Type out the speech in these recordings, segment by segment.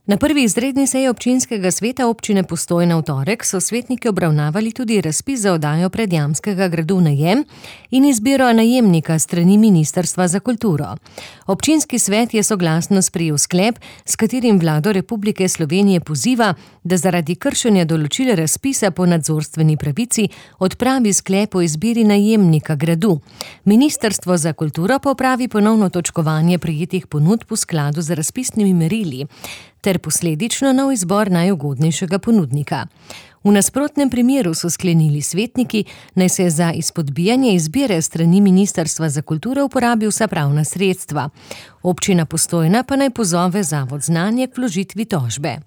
Na prvi izredni seji občinskega sveta občine Postojna v torek so svetniki obravnavali tudi razpis za oddajo Predjamskega gradu v najem in izbiro najemnika s strani Ministrstva za kulturo. Občinski svet je soglasno sprejel sklep, s katerim vlado Republike Slovenije poziva, da zaradi kršenja določil razpisa po nadzorstveni pravici odpravi sklep o izbiri najemnika gradu. Ministrstvo za kulturo pa opravi ponovno točkovanje prejetih ponudb v skladu z razpisnimi merili ter posledično nov izbor najugodnejšega ponudnika. V nasprotnem primeru so sklenili svetniki, naj se za izpodbijanje izbire strani Ministrstva za kulturo uporabi vsa pravna sredstva. Občina Postojna pa naj pozove Zavod Znanje k vložitvi tožbe.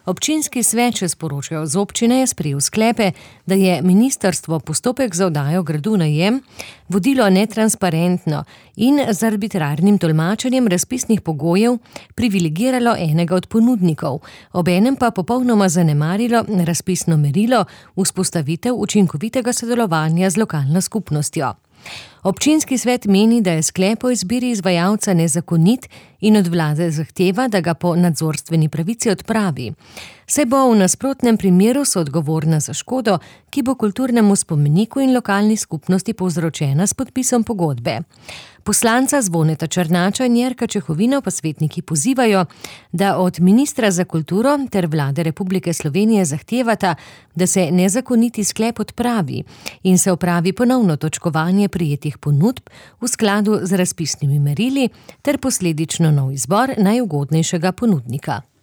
Občinski svet, če sporočajo z občine, je sprejel sklepe, da je ministrstvo postopek za oddajo gradu v najem vodilo netransparentno in z arbitrarnim tolmačenjem razpisnih pogojev privilegiralo enega od ponudnikov, obenem pa popolnoma zanemarilo razpisno merilo vzpostavitev učinkovitega sodelovanja z lokalno skupnostjo. Občinski svet meni, da je sklep o izbiri izvajalca nezakonit in od vlade zahteva, da ga po nadzorstveni pravici odpravi. Saj bo v nasprotnem primeru soodgovorna za škodo, ki bo kulturnemu spomeniku in lokalni skupnosti povzročena s podpisom pogodbe. Poslanca Zvoneta Černača in Jerka Čehovina pa svetniki pozivajo, da od ministra za kulturo ter vlade Republike Slovenije zahtevata, da se nezakoniti sklep odpravi in se opravi ponovno točkovanje prejetih ponudb v skladu z razpisnimi merili ter posledično nov izbor najugodnejšega ponudnika.